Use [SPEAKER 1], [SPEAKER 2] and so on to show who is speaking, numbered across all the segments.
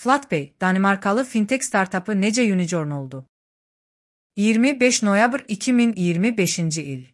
[SPEAKER 1] Flatpay, Danimarkalı fintech startupı necə unicorn oldu? 25 noyabr 2025 il.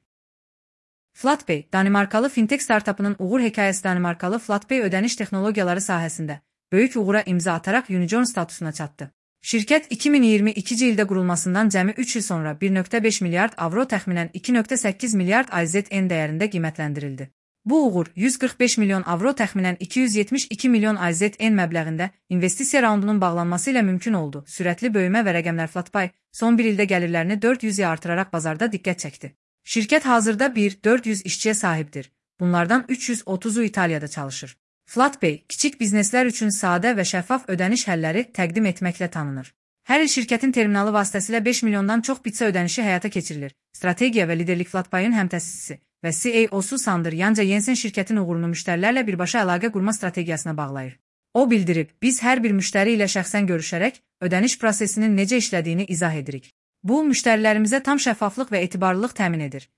[SPEAKER 1] Flatpay, Danimarkalı fintech startupının uğur hekayəsi. Danimarkalı Flatpay ödəniş texnologiyaları sahəsində böyük uğura imza ataraq unicorn statusuna çatdı. Şirkət 2022 ildə qurulmasından cəmi 3 il sonra 1,5 milyard avro təxminən 2,8 milyard AZN dəyərində qiymətləndirildi. Bu uğur 145 milyon avro təxminən 272 milyon AZN məbləğində investisiya raundunun bağlanması ilə mümkün oldu. Sürətli böyümə və rəqəmlər. Flatpay son bir ildə gəlirlərini 400-yə artıraraq bazarda diqqət çəkdi. Şirkət hazırda 400 işçiyə sahibdir. Bunlardan 330'u İtaliyada çalışır. Flatpay, kiçik bizneslər üçün sadə və şəffaf ödəniş həlləri təqdim etməklə tanınır. Hər il şirkətin terminalı vasitəsilə 5 milyondan çox bitsə ödənişi həyata keçirilir. Strategiya və liderlik. Flatpay'ın həmtəsisisi və CEO-su Sander Jansen şirkətin uğurunu müştərilərlə birbaşa əlaqə qurma strategiyasına bağlayır. O bildirib, biz hər bir müştəri ilə şəxsən görüşərək ödəniş prosesinin necə işlədiyini izah edirik. Bu, müştərilərimizə tam şəffaflıq və etibarlılıq təmin edir.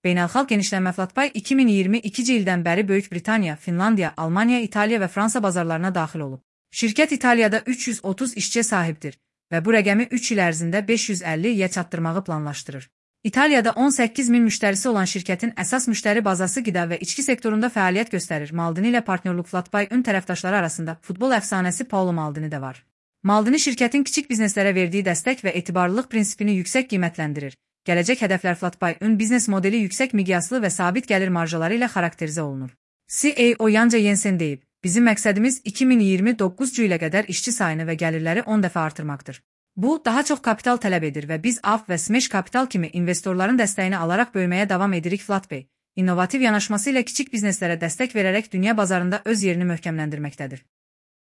[SPEAKER 1] Beynəlxalq genişlənmə. Flatpay 2022 ildən bəri Böyük Britaniya, Finlandiya, Almaniya, İtaliya və Fransa bazarlarına daxil olub. Şirkət İtaliyada 330 işçiyə sahibdir və bu rəqəmi 3 il ərzində 550'yə çatdırmağı planlaşdırır. İtaliyada 18 min müştərisi olan şirkətin əsas müştəri bazası qida və içki sektorunda fəaliyyət göstərir. Maldini ilə partnyorluq. Flatpay'ın tərəfdaşları arasında futbol əfsanəsi Paolo Maldini də var. Maldini şirkətin kiçik bizneslərə verdiyi dəstək və etibarlılıq prinsipini yüksək qiymətləndirir. Gələcək hədəflər. Flatpay'ın biznes modeli yüksək miqyaslı və sabit gəlir marjaları ilə xarakterizə olunur. CEO Jansen deyib, bizim məqsədimiz 2029 ilə qədər işçi sayını və gəlirləri 10 dəfə artırmaqdır. Bu, daha çox kapital tələb edir və biz AF və Smash Capital kimi investorların dəstəyini alaraq böyüməyə davam edirik. Flatpay, innovativ yanaşması ilə kiçik bizneslərə dəstək verərək dünya bazarında öz yerini möhkəmləndirməkdədir.